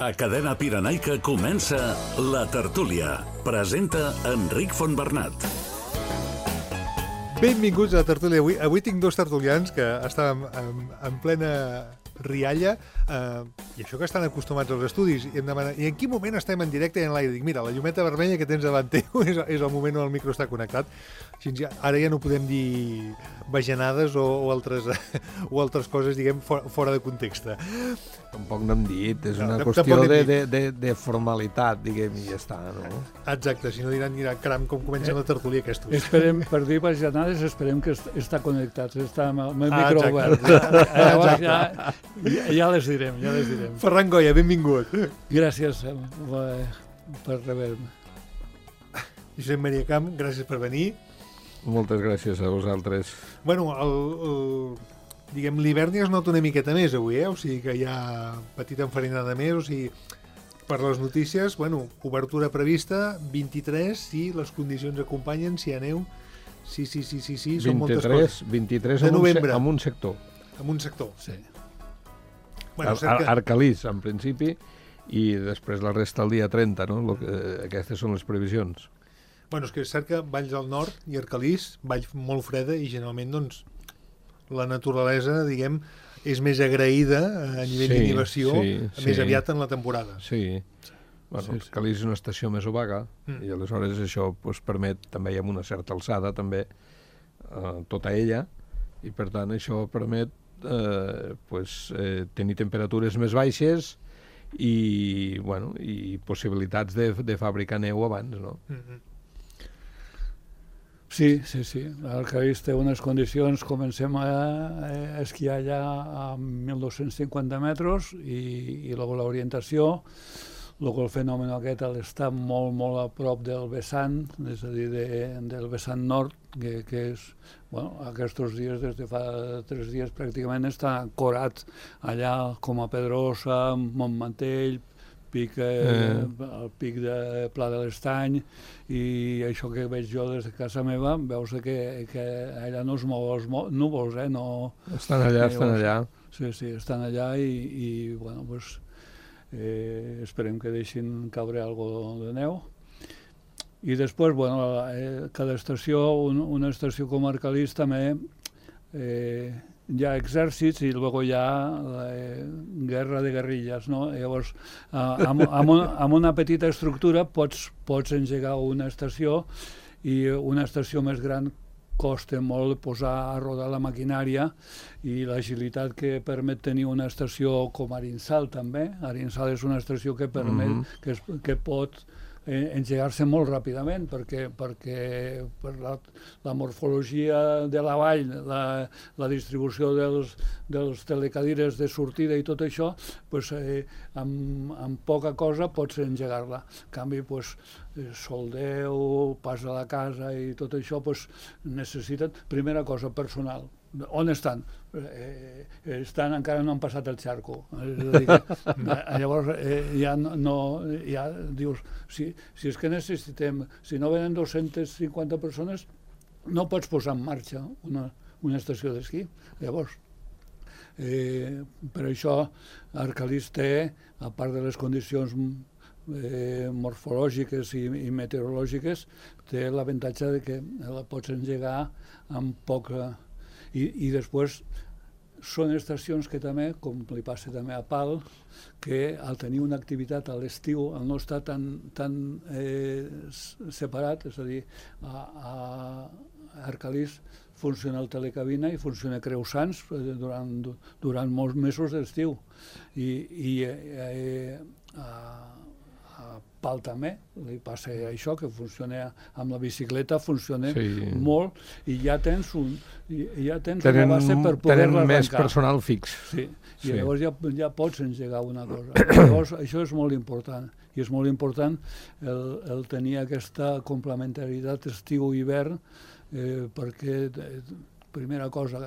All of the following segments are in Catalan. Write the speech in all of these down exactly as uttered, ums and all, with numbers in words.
A Cadena Pirenaica comença La Tertúlia. Presenta Enric Fontbernat. Benvinguts a La Tertúlia. Avui, avui tinc dos tertulians que estàvem en, en plena rialla, eh, i això que estan acostumats als estudis, i em demana, i en quin moment estem en directe i en l'aire? Dic, mira, la llumeta vermella que tens davant teu és, és el moment on el micro està connectat. Així, ja, ara ja no podem dir bajanades o, o, altres, o altres coses, diguem, fora, fora de context. Tampoc n'hem dit, és una no, qüestió de, de, de, de formalitat, diguem, i ja està, no? Exacte, si no diran, mira, caram, com comencen la tertúlia aquestos. Esperem, per dir bajanades, esperem que està connectat, està amb el ah, micro exacte. obert. Ja, llavors ja, ja, ja les direm, ja les direm. Ferran Goya, benvingut. Gràcies eh, per rebre-me. Josep Maria Camp, gràcies per venir. Moltes gràcies a vosaltres. Bueno, el, el, diguem, l'hivern ja es nota una miqueta més avui, eh? O sigui que hi ha petita enfarinada més, o sigui, per les notícies, bueno, obertura prevista, vint-i-tres, si les condicions acompanyen, si hi ha neu, sí, sí, sí, sí, sí, són moltes coses. vint-i-tres de en, un, novembre. en un sector. En un sector. Sí. Bueno, Ar Ar Arcalís, en principi, i després la resta el dia trenta, no? Lo que, aquestes són les previsions. Bueno, és que és cert que Valls del Nord i Arcalís, vall molt freda, i generalment, doncs, la naturalesa, diguem, és més agraïda a nivell sí, d'inhibició, sí, més sí. aviat en la temporada. Sí. Bueno, sí, sí. Arcalís és una estació més obaga, mm. i aleshores això pues, permet, també hi ha una certa alçada, també, eh, tota ella, i per tant això permet eh, pues, eh, tenir temperatures més baixes i, bueno, i possibilitats de, de fabricar neu abans, no? Mm-hmm. Sí, sí, sí. Arcalís té unes condicions, comencem a, a esquiar allà a mil dos-cents cinquanta metres i, i l'orientació, el fenomen aquest està molt, molt a prop del vessant, és a dir, de, del vessant nord, que, que és, bueno, aquests dies, des de fa tres dies pràcticament està ancorat allà com a Pedrosa, Montmantell, pic, eh, el pic de Pla de l'Estany, i això que veig jo des de casa meva, veus que, que allà no es mou els núvols, eh? No, estan allà, estan allà. Sí, sí, estan allà i, i bueno, pues, eh, esperem que deixin caure algo de neu. I després, bueno, eh, cada estació, un, una estació com Arcalís també, eh, hi ha exèrcits i després hi ha eh, guerra de guerrilles, no? Llavors, eh, amb, amb, un, amb una petita estructura pots, pots engegar una estació, i una estació més gran costa molt posar a rodar la maquinària, i l'agilitat que permet tenir una estació com Arinsal també. Arinsal és una estació que permet, mm-hmm. que, es, que pot Eh, engegar-se molt ràpidament perquè, perquè per la, la morfologia de la vall, la, la distribució dels, dels telecadires de sortida i tot això, pues, eh, amb, amb poca cosa pots engegar-la. En canvi, pues, soldeu, pas a la casa i tot això, pues, necessiten, primera cosa, personal. On estan? Eh, estan, encara no han passat el xarco. És a dir, que, llavors eh, ja no, ja dius, si, si és que necessitem, si no venen dos-centes cinquanta persones, no pots posar en marxa una, una estació d'esquí. Llavors, eh, per això Arcalís té, a part de les condicions eh, morfològiques i, i meteorològiques, té l'avantatge de que la pots engegar amb poca. I, i després són estacions que també, com li passa també a Pal, que al tenir una activitat a l'estiu, al no estar tan, tan eh, separat, és a dir, a, a Arcalís funciona el telecabina i funciona Creusans durant, durant molts mesos d'estiu. I, i eh, a, a Pal també li passa això, que funciona amb la bicicleta, funciona sí. molt, i ja tens, un, ja tens tenen, una base per poder-la arrencar. Tenen més personal fix. Sí, i sí. llavors ja, ja pots engegar una cosa. Llavors això és molt important, i és molt important el, el tenir aquesta complementaritat estiu-hivern, eh, perquè, eh, primera cosa,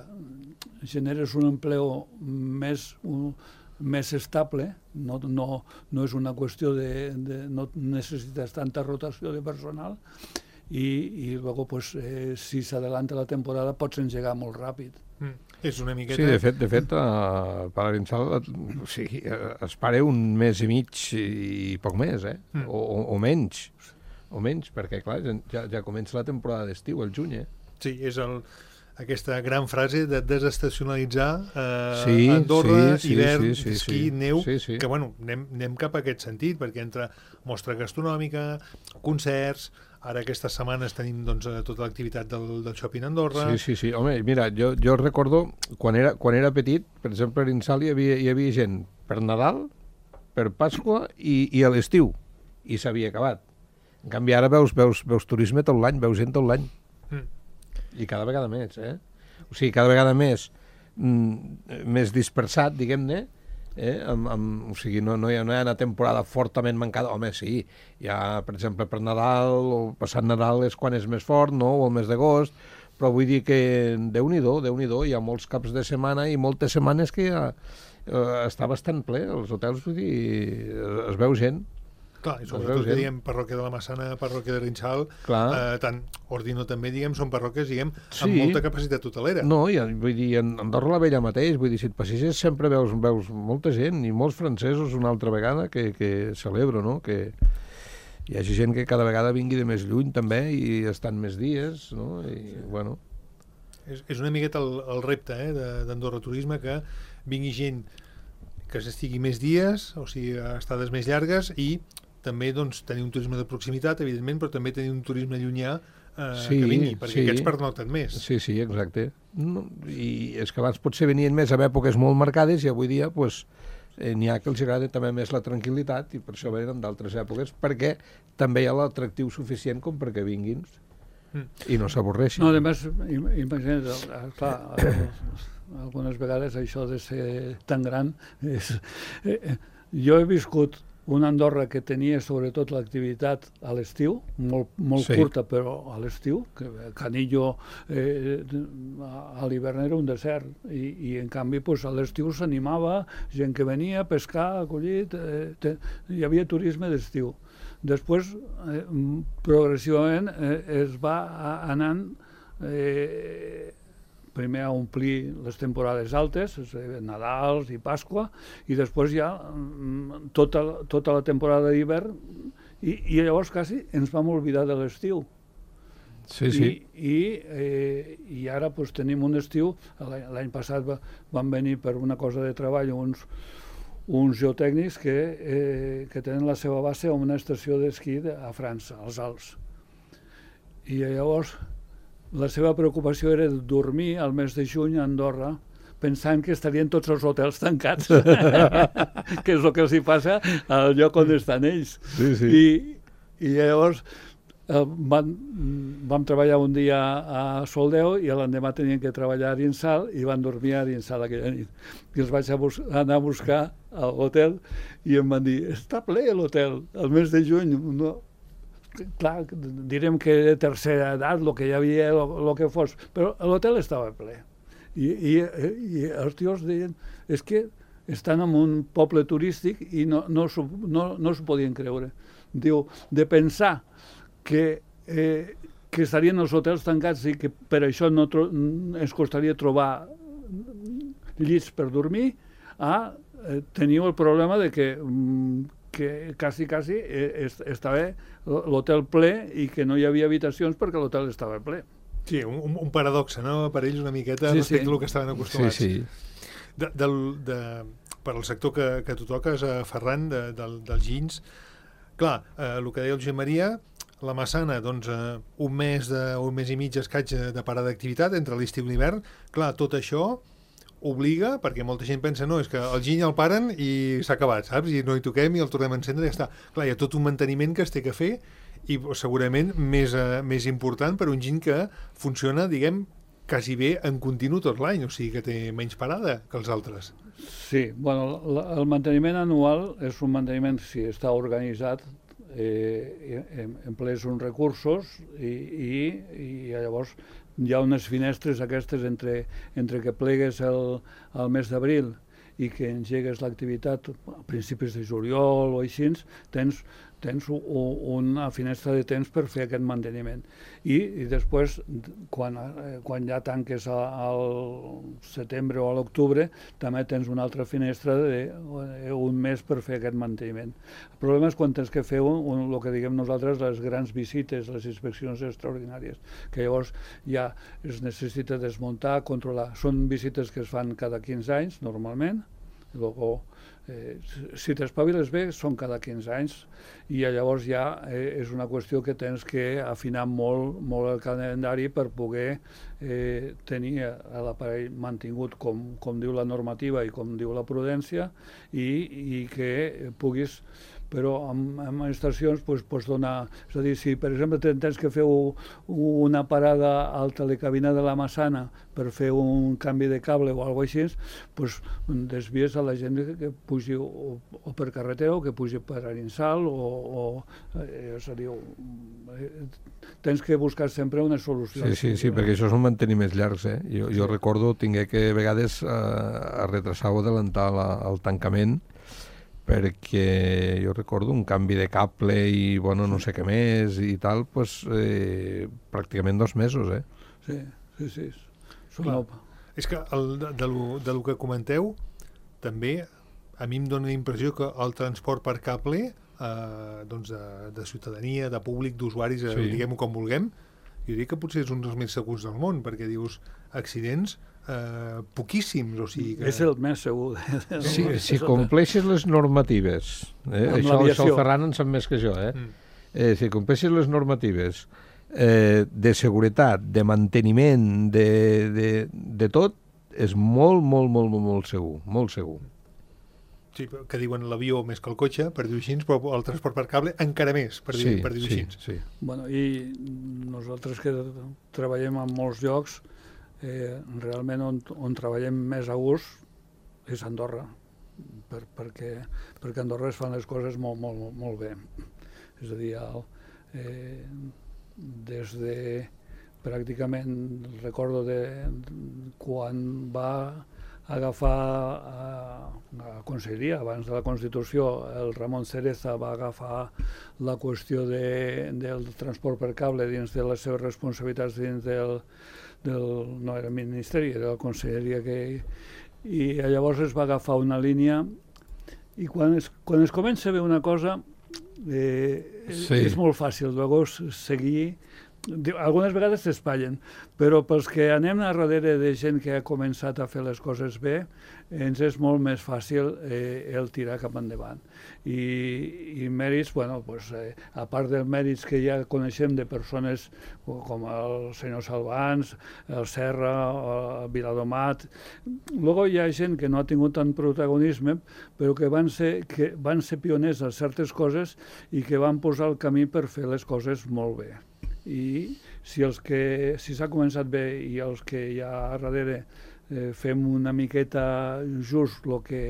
generes un empleo més... Un, més estable, no, no, no és una qüestió de, de no necessites tanta rotació de personal, i, i luego, pues, eh, si s'adelanta la temporada, pots engegar molt ràpid. Mm. És una miqueta... Sí, de fet, de fet uh, per l'Arinsal o sigui, es pare un mes i mig i poc més, eh? Mm. O, o, o menys, o menys, perquè, clar, ja, ja comença la temporada d'estiu, el juny, eh? Sí, és el, aquesta gran frase de desestacionalitzar eh, sí, Andorra, sí, sí, hivern, sí, sí, esquí, sí, neu, sí, sí. que, bueno, anem, anem cap a aquest sentit, perquè entre mostra gastronòmica, concerts... Ara aquestes setmanes tenim doncs, tota l'activitat del, del Shopping Andorra. Sí, sí, sí. Home, mira, jo, jo recordo, quan era, quan era petit, per exemple, a Arinsal hi havia, hi havia gent per Nadal, per Pasqua i, i a l'estiu, i s'havia acabat. En canvi, ara veus, veus, veus turisme tot l'any, veus gent tot l'any. Mm. I cada vegada més, eh? O sigui, cada vegada més, mm, més dispersat, diguem-ne, Eh, amb, amb, o sigui, no, no, hi ha, no hi ha una temporada fortament mancada. Home, sí, hi ha, per exemple, per Nadal o passat Nadal és quan és més fort, no?, o el mes d'agost, però vull dir que Déu-n'hi-do, Déu-n'hi-do, hi ha molts caps de setmana i moltes setmanes que ja eh, està bastant ple, els hotels, vull dir, es, es veu gent. Clar, i sobretot que diguem parròquia de la Massana, parròquia de Rinxal, eh, tant Ordino també, diguem, són parròquies, diguem, sí. amb molta capacitat hotelera. No, i, vull dir, en Andorra la Vella mateix, vull dir, si et passeges sempre veus, veus molta gent, i molts francesos una altra vegada que, que celebro, no?, que hi hagi gent que cada vegada vingui de més lluny també i estan més dies, no?, i, sí. bueno... És, és una miqueta el, el repte eh, d'Andorra Turisme, que vingui gent que s'estigui més dies, o sigui, estades més llargues, i també doncs, tenir un turisme de proximitat, evidentment, però també tenir un turisme llunyà eh, sí, que vingui, perquè sí. aquests pernoten més. Sí, sí, exacte. No, I és que abans potser venien més a èpoques molt marcades i avui dia pues, eh, n'hi ha que els agrada també més la tranquil·litat i per això venen d'altres èpoques, perquè també hi ha l'atractiu suficient com perquè vinguin mm. i no s'avorreixin. No, a més, imagina't, clar, algunes vegades això de ser tan gran és... Eh, jo he viscut una Andorra que tenia sobretot l'activitat a l'estiu, molt, molt sí. curta, però a l'estiu, que Canillo eh, a l'hivern era un desert, i, i en canvi pues, a l'estiu s'animava, gent que venia a pescar, a collir, eh, te, hi havia turisme d'estiu. Després, eh, progressivament, eh, es va anant eh, primer a omplir les temporades altes, Nadals i Pasqua, i després ja tota, tota la temporada d'hivern, i, i llavors quasi ens vam oblidar de l'estiu. Sí, sí. I, i, eh, i ara pues, tenim un estiu, l'any passat va, van venir per una cosa de treball uns, uns geotècnics que, eh, que tenen la seva base a una estació d'esquí a França, als Alps. I llavors la seva preocupació era dormir al mes de juny a Andorra pensant que estarien tots els hotels tancats, que és el que els hi passa al lloc on estan ells. Sí, sí. I, i llavors eh, van, vam treballar un dia a Soldeu i l'endemà tenien que treballar a Arinsal i van dormir a Arinsal aquella nit. I els vaig a bus anar a buscar a l'hotel i em van dir, està ple l'hotel, al mes de juny, no... Clar, direm que de tercera edat, el que hi havia, el que fos, però l'hotel estava ple. I, i, i els tios deien, és que estan en un poble turístic i no, no s'ho no, no s'ho podien creure. Diu, de pensar que, eh, que estarien els hotels tancats i que per això no ens costaria trobar llits per dormir, a eh, teniu el problema de que mm, que quasi, quasi eh, estava l'hotel ple i que no hi havia habitacions perquè l'hotel estava ple. Sí, un, un paradoxe, no?, per ells una miqueta sí, respecte sí. al que estaven acostumats. Sí, sí. De, del, de, per al sector que, que tu toques, a Ferran, de, del, dels ginys, clar, eh, el que deia el Josep Maria, la Massana, doncs, eh, un mes de, un mes i mig escaig de parada d'activitat entre l'estiu i l'hivern, clar, tot això obliga, perquè molta gent pensa, no, és que el giny el paren i s'ha acabat, saps? I no hi toquem i el tornem a encendre i ja està. Clar, hi ha tot un manteniment que es té que fer i segurament més, eh, més important per un giny que funciona, diguem, quasi bé en continu tot l'any, o sigui que té menys parada que els altres. Sí, bueno, la, el manteniment anual és un manteniment, si està organitzat, eh, emplees uns recursos i, i, i llavors hi ha unes finestres aquestes entre, entre que plegues el, el mes d'abril i que engegues l'activitat a principis de juliol o així, tens, tens u, una finestra de temps per fer aquest manteniment. I, i després, quan, eh, quan ja tanques a, al setembre o a l'octubre, també tens una altra finestra d'un mes per fer aquest manteniment. El problema és quan tens que fer un, un, el que diguem nosaltres les grans visites, les inspeccions extraordinàries, que llavors ja es necessita desmuntar, controlar. Són visites que es fan cada quinze anys, normalment, i luego, eh, si t'espaviles bé, són cada quinze anys, i llavors ja eh, és una qüestió que tens que afinar molt, molt el calendari per poder eh, tenir l'aparell mantingut com, com diu la normativa i com diu la prudència, i, i que puguis, però amb, amb estacions pues, pots donar, és a dir, si per exemple tens que fer una parada al telecabina de la Massana per fer un canvi de cable o alguna cosa així, pues, desvies a la gent que pugi o, o per carretera o que pugi per Arinsal, o, o eh, és a dir, tens que buscar sempre una solució. Sí, sí, sí, perquè això són manteniments llargs, eh? Jo, jo sí. recordo, tingué que a vegades eh, a retrasar o adelantar la, el tancament, perquè jo recordo un canvi de cable i bueno, no sé què més i tal, pues, eh, pràcticament dos mesos, eh? Sí, sí, sí. Clar, és que el, de, de, lo, de lo que comenteu, també a mi em dóna la impressió que el transport per cable, eh, doncs de, de ciutadania, de públic, d'usuaris, sí. eh, diguem-ho com vulguem, jo diria que potser és un dels més segurs del món, perquè dius accidents eh, poquíssims, o sigui que... És el més segur. Si, si compleixes les normatives, eh? això, això el Ferran en sap més que jo, eh? Mm. eh si compleixes les normatives eh, de seguretat, de manteniment, de, de, de tot, és molt, molt, molt, molt, molt segur, molt segur. Sí, que diuen l'avió més que el cotxe, per dir-ho així, però el transport per cable encara més, per dir-ho sí, per dir-ho sí, així. Sí. Bueno, i nosaltres que treballem en molts llocs, eh, realment on, on treballem més a gust és Andorra, per, perquè, perquè a Andorra es fan les coses molt, molt, molt bé. És a dir, el, eh, des de pràcticament, recordo de quan va agafar a, a Conselleria, abans de la Constitució, el Ramon Cereza va agafar la qüestió de, del transport per cable dins de les seves responsabilitats dins del, del no era Ministeri, era la Conselleria que... I llavors es va agafar una línia i quan es, quan es comença a veure una cosa eh, sí. és molt fàcil llavors seguir. Algunes vegades s'espatllen, però pels que anem a darrere de gent que ha començat a fer les coses bé, ens és molt més fàcil eh, el tirar cap endavant. I, i mèrits, bueno, pues, eh, a part dels mèrits que ja coneixem de persones com el senyor Salvans, el Serra, el Viladomat, luego hi ha gent que no ha tingut tant protagonisme, però que van ser, que van ser pioners en certes coses i que van posar el camí per fer les coses molt bé. I si els que si s'ha començat bé i els que ja a darrere eh, fem una miqueta just el que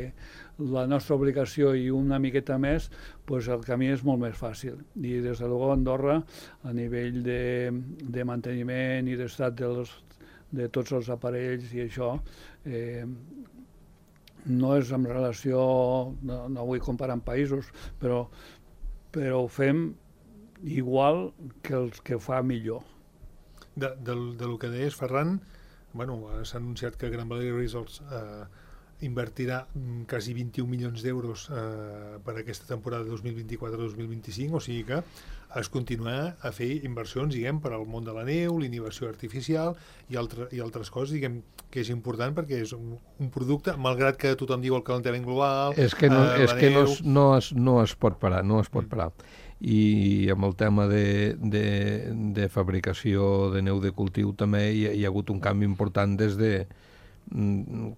la nostra obligació i una miqueta més, pues el camí és molt més fàcil. I des de luego Andorra, a nivell de, de manteniment i d'estat dels, de tots els aparells i això, eh, no és en relació, no, no vull comparar amb països, però, però ho fem igual que els que fa millor. De, de, de lo que deies, Ferran, bueno, s'ha anunciat que Gran Valira Resorts eh, invertirà quasi vint-i-un milions d'euros eh, per aquesta temporada dos mil vint-i-quatre dos mil vint-i-cinc, o sigui que es continuarà a fer inversions, diguem, per al món de la neu, l'innovació artificial i, altre, i altres coses, diguem, que és important perquè és un, un producte, malgrat que tothom diu el calentament global... És que no, eh, és que no, es, no, es, no es pot parar, no es pot parar. I amb el tema de, de, de fabricació de neu de cultiu també hi ha, hi ha hagut un canvi important des de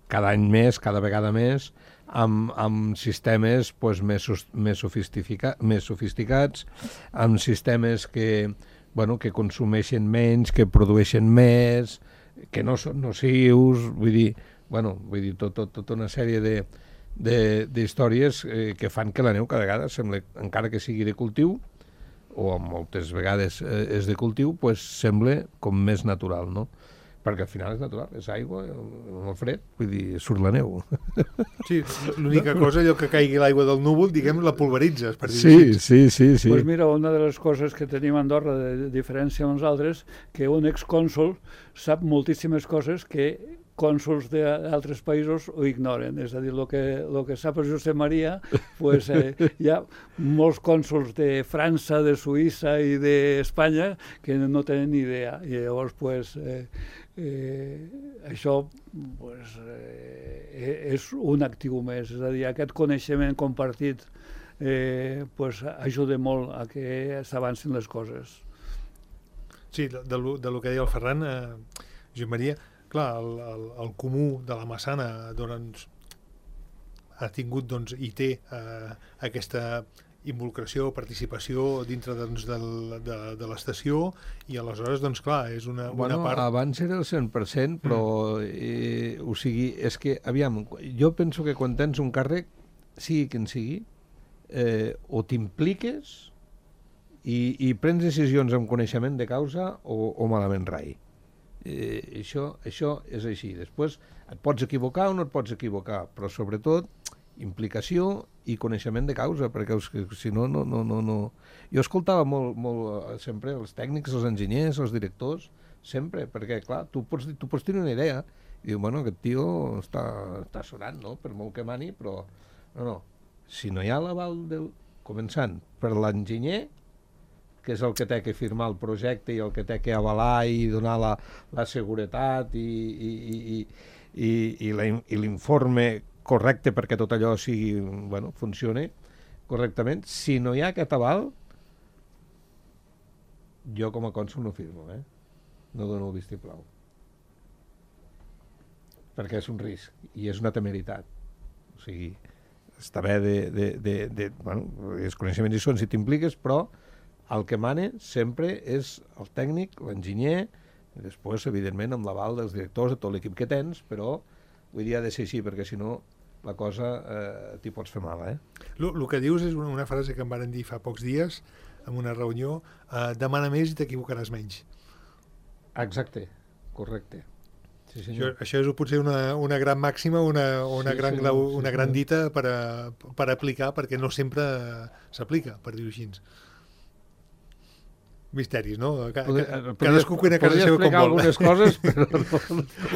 cada any més, cada vegada més, amb, amb sistemes pues, més, més, sofistica, més sofisticats, amb sistemes que, bueno, que consumeixen menys, que produeixen més, que no són nocius, vull dir, bueno, vull dir tot, tot, tota una sèrie de d'històries eh, que fan que la neu cada vegada sembla, encara que sigui de cultiu o moltes vegades eh, és de cultiu, pues, sembla com més natural, no? perquè al final és natural, és aigua, amb el fred, vull dir, surt la neu. Sí, l'única cosa, allò que caigui l'aigua del núvol, diguem, la pulveritzes, per dir-ho Sí, així. sí, sí, sí. Pues mira, una de les coses que tenim a Andorra de diferència amb els altres, que un excònsol sap moltíssimes coses que cònsols d'altres països ho ignoren. És a dir, el que, lo que sap el Josep Maria, pues, eh, hi ha molts cònsols de França, de Suïssa i d'Espanya que no tenen ni idea. I llavors, pues, eh, eh, això pues, eh, és un actiu més. És a dir, aquest coneixement compartit eh, pues, ajuda molt a que s'avancin les coses. Sí, de, de, lo, de lo que deia el Ferran, eh, Josep Maria, clar, el, el, el comú de la Massana doncs, ha tingut doncs, i té eh, aquesta involucració, participació dintre doncs, del, de, de l'estació i aleshores, doncs clar, és una, bueno, una part... Abans era el cent per cent, però mm. eh, o sigui, és que, aviam, jo penso que quan tens un càrrec, sigui quin sigui, eh, o t'impliques i, i prens decisions amb coneixement de causa o, o malament rai. Eh, això, això és així. Després et pots equivocar o no et pots equivocar, però sobretot implicació i coneixement de causa, perquè si no, no, no, no, no... Jo escoltava molt, molt sempre els tècnics, els enginyers, els directors, sempre, perquè clar, tu pots, tu pots tenir una idea i diu, bueno, aquest tio està, està sonant, no?, per molt que mani, però no, no, si no hi ha l'aval del... començant per l'enginyer, que és el que té que firmar el projecte i el que té que avalar i donar la, la seguretat i, i, i, i, i, la, i l'informe correcte perquè tot allò sigui, bueno, funcioni correctament. Si no hi ha aquest aval, jo com a cònsol no firmo, eh? No dono el vistiplau. Perquè és un risc i és una temeritat. O sigui, està bé de... de, de, de bueno, els coneixements hi són si t'impliques, però el que mane sempre és el tècnic, l'enginyer, i després, evidentment, amb l'aval dels directors, de tot l'equip que tens, però vull dir, ha de ser així, perquè si no, la cosa eh, t'hi pots fer mal, eh? El que dius és una, una frase que em varen dir fa pocs dies, en una reunió, eh, demana més i t'equivocaràs menys. Exacte, correcte. Sí, això, això és potser una, una gran màxima, una, una, sí, gran, senyor, una sí, gran dita per, a, per aplicar, perquè no sempre s'aplica, per dir-ho així. Misteris, no? Cadascú cuina a casa seva com vol. Podria explicar algunes coses, però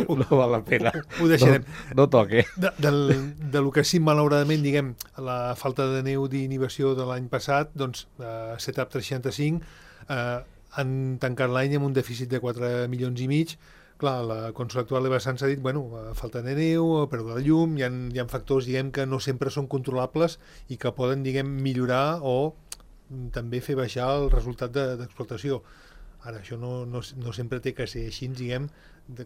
no, no val la pena. Ho deixarem. No, no toque. De, del, de lo que sí, malauradament, diguem, la falta de neu d'inhibició de l'any passat, doncs, eh, Setup tres seixanta-cinc eh, han tancat l'any amb un dèficit de quatre milions i mig. Clar, la consola actual de Vessants ha dit, bueno, falta de neu, pèrdua de llum, hi ha, hi ha factors, diguem, que no sempre són controlables i que poden, diguem, millorar o també fer baixar el resultat d'explotació. Ara, això no, no, no sempre té que ser així, diguem,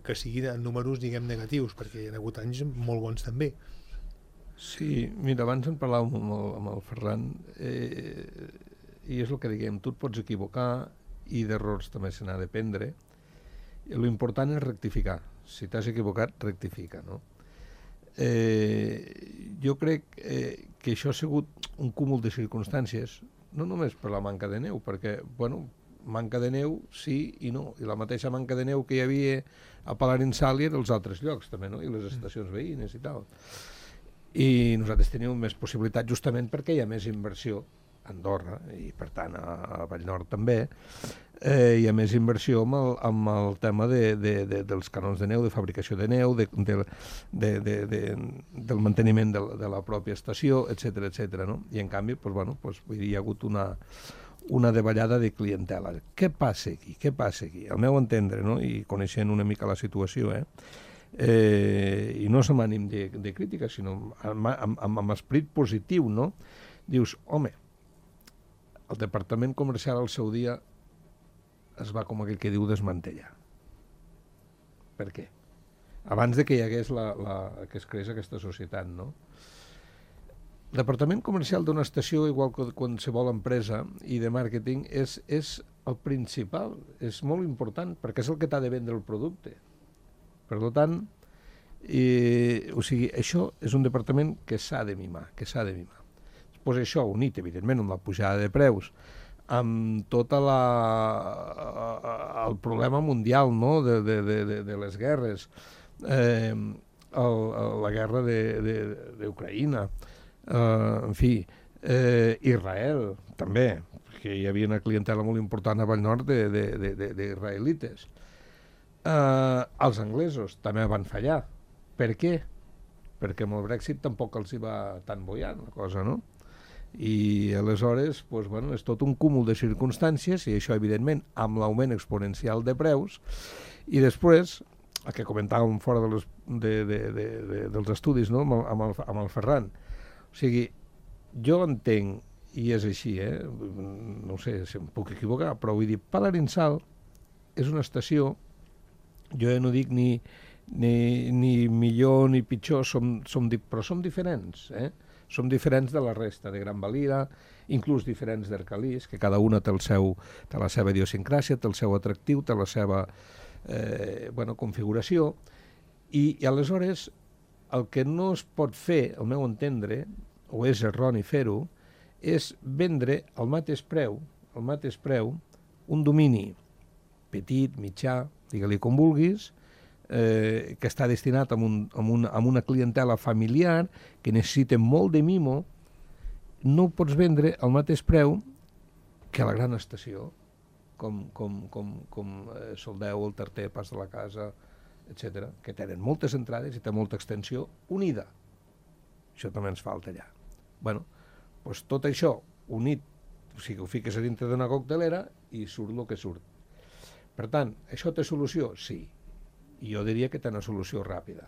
que siguin en números, diguem, negatius, perquè hi ha hagut anys molt bons també. Sí, mira, abans en parlàvem amb el, amb el Ferran, eh, i és el que diguem, tu et pots equivocar i d'errors també se n'ha d'aprendre. L'important és rectificar. Si t'has equivocat, rectifica, no? Eh, jo crec eh, que això ha sigut un cúmul de circumstàncies, no només per la manca de neu, perquè, bueno, manca de neu sí i no, i la mateixa manca de neu que hi havia a Palarinsal i als altres llocs també, no? I les estacions veïnes i tal. I nosaltres tenim més possibilitat justament perquè hi ha més inversió a Andorra i per tant a, a Vallnord també, eh, hi ha més inversió amb el, amb el tema de, de, de, dels canons de neu, de fabricació de neu, de, de, de, de, de, del manteniment de, de la pròpia estació, etcètera, etcètera, no? I en canvi, pues, bueno, pues, vull dir, hi ha hagut una, una davallada de clientela. Què passa aquí? Què passa aquí? Al meu entendre, no? I coneixent una mica la situació, eh? Eh, i no som ànim de, de crítica, sinó amb, amb, amb, amb esperit positiu, no? Dius, home, el departament comercial al seu dia es va, com aquell que diu, desmantellar. Per què? Abans de que hi hagués la, la, que es creés aquesta societat, no? El departament comercial d'una estació, igual que qualsevol empresa i de màrqueting, és, és el principal, és molt important, perquè és el que t'ha de vendre el producte. Per tant, eh, o sigui, això és un departament que s'ha de mimar, que s'ha de mimar. Pues això, unit, evidentment, amb la pujada de preus, amb tot el problema mundial, no?, de, de, de, de les guerres, eh, el, la guerra d'Ucraïna, eh, en fi, eh, Israel, també, que hi havia una clientela molt important a Vallnord d'israelites. Eh, els anglesos també van fallar. Per què? Perquè amb el Brexit tampoc els hi va tan bollant la cosa, no? I aleshores, doncs, bueno, és tot un cúmul de circumstàncies, i això, evidentment, amb l'augment exponencial de preus, i després, el que comentàvem fora de les, de, de, de, de, dels estudis, no?, amb, el, amb, el, amb el Ferran. O sigui, jo entenc, i és així, eh? No sé si em puc equivocar, però vull dir, Palarinsal és una estació, jo ja no dic ni, ni, ni millor ni pitjor, som, som, però som diferents, eh? Som diferents de la resta, de Gran Valira, inclús diferents d'Arcalís, que cada una té, el seu, té la seva idiosincràsia, té el seu atractiu, té la seva eh, bueno, configuració, i, i aleshores el que no es pot fer, al meu entendre, o és erroni fer-ho, és vendre al mateix preu, al mateix preu, un domini petit, mitjà, digue-li com vulguis, Eh, que està destinat a, un, a, una, a una clientela familiar que necessita molt de mimo, no ho pots vendre al mateix preu que a la gran estació, com, com, com, com eh, Soldeu, el Tarter, Pas de la Casa, etcètera, que tenen moltes entrades i té molta extensió unida. Això també ens falta allà. Bueno, doncs tot això unit, o sigui, ho fiques a dintre d'una coctelera i surt el que surt. Per tant, això té solució? Sí. I jo diria que té una solució ràpida.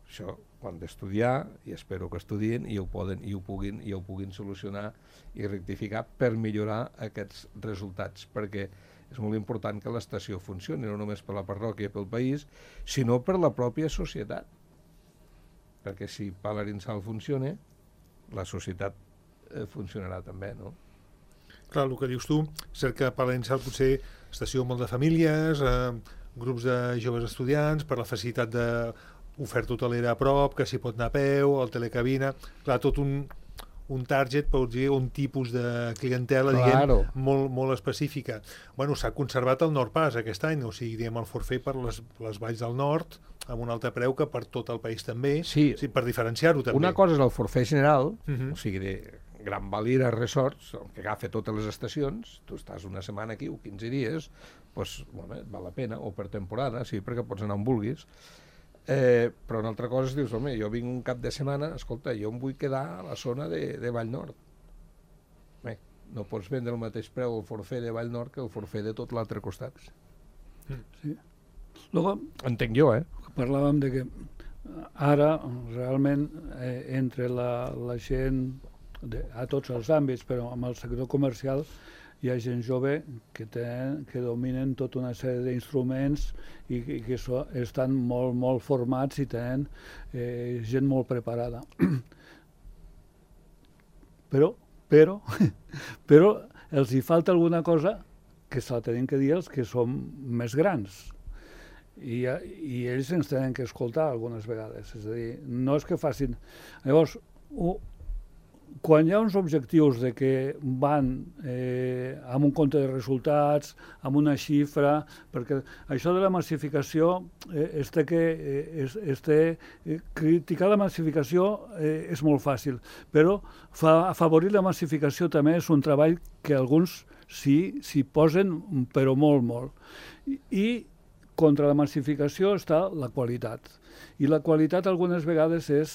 Això ho han d'estudiar, i espero que estudien i ho, poden, i ho, puguin, i ho puguin solucionar i rectificar per millorar aquests resultats, perquè és molt important que l'estació funcioni, no només per la parròquia i pel país, sinó per la pròpia societat. Perquè si Palarinsal funciona, la societat eh, funcionarà també, no? Clar, el que dius tu, cert que Palarinsal potser estació molt de famílies, eh, grups de joves estudiants, per la facilitat d'oferta hotelera a prop, que s'hi pot anar a peu, el telecabina, clar, tot un, un target, per dir, un tipus de clientela, claro, diguem, molt, molt específica. Bueno, s'ha conservat el Nord Pas aquest any, o sigui, diguem, el forfait per les, les valls del nord, amb un altre preu que per tot el país també, sí, sí, per diferenciar-ho també. Una cosa és el forfait general, uh-huh. o sigui, de Gran Valira Resorts, que agafa totes les estacions, tu estàs una setmana aquí o quinze dies, doncs, bueno, val la pena, o per temporada, sí, perquè pots anar on vulguis. Eh, però una altra cosa és, dius, home, jo vinc un cap de setmana, escolta, jo em vull quedar a la zona de, de Vallnord. Bé, no pots vendre el mateix preu el forfait de Vallnord que el forfait de tot l'altre costat. Sí. Luego, entenc jo, eh? Parlàvem de que ara, realment, eh, entre la, la gent de, a tots els àmbits, però amb el sector comercial hi ha gent jove que, tenen, que dominen tota una sèrie d'instruments i, i que so, estan molt, molt formats i tenen eh, gent molt preparada. Però, però, però els hi falta alguna cosa que se la tenen que dir els que som més grans. I, i ells ens tenen que escoltar algunes vegades. És a dir, no és que facin... Llavors, ho, quan hi ha uns objectius de que van eh, amb un compte de resultats, amb una xifra, perquè això de la massificació, eh, es té que, eh, es, es té, eh, criticar la massificació eh, és molt fàcil, però fa, afavorir la massificació també és un treball que alguns sí s'hi posen, però molt, molt. I, i contra la massificació està la qualitat. I la qualitat algunes vegades és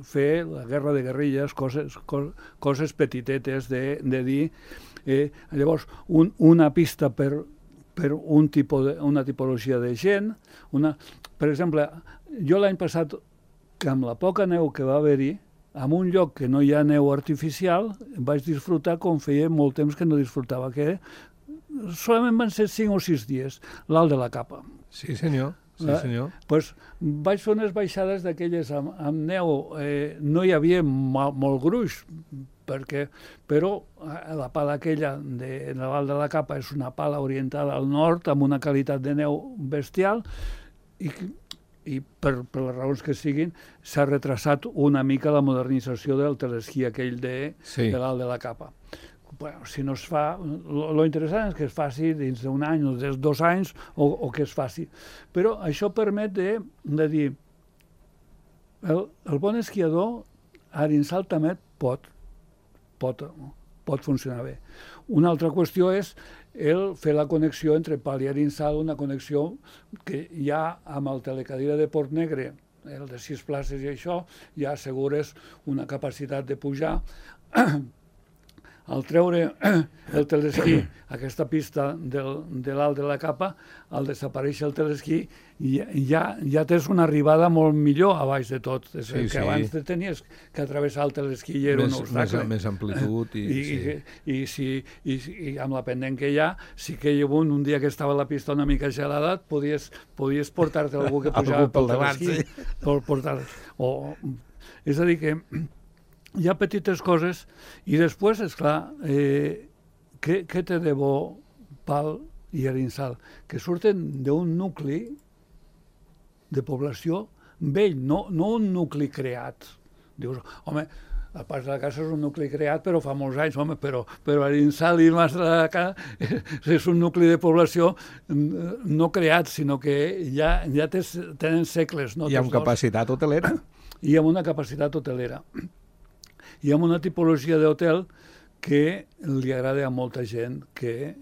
fer la guerra de guerrilles, coses, co, coses petitetes de, de dir... Eh, llavors, un, una pista per, per un tipus de, una tipologia de gent. Una, per exemple, jo l'any passat, que amb la poca neu que va haver-hi, en un lloc que no hi ha neu artificial, vaig disfrutar com feia molt temps que no disfrutava, que solament van ser cinc o sis dies, l'Alt de la Capa. Sí, senyor. Sí, senyor. Eh, pues, vaig fer unes baixades d'aquelles amb, amb neu. Eh, no hi havia mal, molt gruix, perquè, però la pala aquella de, de l'Alt de la Capa és una pala orientada al nord, amb una qualitat de neu bestial, i, i per, per les raons que siguin, s'ha retrasat una mica la modernització del telesquí aquell de, sí. de l'Alt de la Capa. bueno, si no es fa, lo interessant és que es faci dins d'un any o dels dos anys o, o que es faci. Però això permet de, de dir el, el bon esquiador a Arinsal també pot, pot, pot funcionar bé. Una altra qüestió és el fer la connexió entre Pal i Arinsal, una connexió que ja amb el telecadira de Port Negre, el de sis places i això, ja assegures una capacitat de pujar. Al treure el telesquí, aquesta pista del, de l'alt de la capa, al desaparèixer el telesquí, ja, ja tens una arribada molt millor a baix de tot. És sí, que sí. Abans te tenies que atravessar el telesquí i era més, un obstacle. Més, més amplitud. I, I, sí. i, i, si, i, i amb la pendent que hi ha, sí que hi ha un, un dia que estava la pista una mica gelada, podies, podies portar-te algú que pujava pel telesquí. Sí. Per portar, o, és a dir que hi ha petites coses i després, esclar, eh, què, què té de bo Pal i Arinsal? Que surten d'un nucli de població vell, no, no un nucli creat. Dius, home, el Pas de la Casa és un nucli creat, però fa molts anys, home, però, però Arinsal i Mas de la Casa és un nucli de població no creat, sinó que ja, ja tens, tenen segles. No? I amb capacitat hotelera. I amb una capacitat hotelera. I amb una tipologia d'hotel que li agrada a molta gent que eh,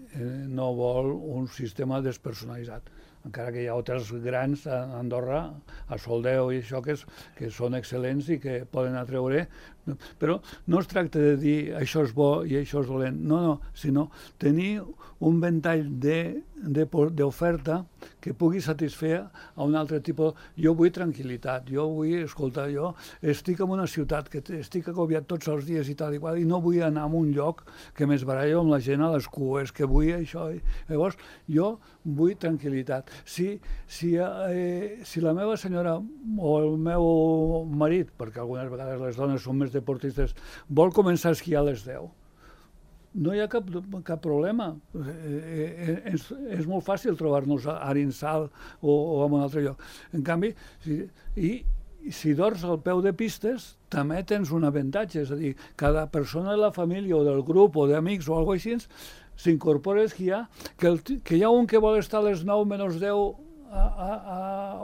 no vol un sistema despersonalitzat. Encara que hi ha hotels grans a Andorra, a Soldeu i això, que, és, que són excel·lents i que poden atreure. Però no es tracta de dir això és bo i això és dolent. No, no, sinó tenir un ventall d'oferta que pugui satisfer a un altre tipus. Jo vull tranquil·litat, jo vull, escolta, jo estic en una ciutat que estic agobiat tots els dies i tal i qual, i no vull anar a un lloc que m'esbarallo amb la gent a les cues, que vull això. Llavors, jo vull tranquil·litat. Si, si, eh, si la meva senyora o el meu marit, perquè algunes vegades les dones són més deportistes, vol començar a esquiar a les deu, no hi ha cap, cap problema. Eh, és, és molt fàcil trobar-nos a Arinsal o, o en un altre lloc. En canvi, si, i, si dors al peu de pistes, també tens un avantatge. És a dir, cada persona de la família o del grup o d'amics o alguna cosa així s'incorpora a esquiar, que, el, que hi ha un que vol estar a les nou menys deu a, a, a,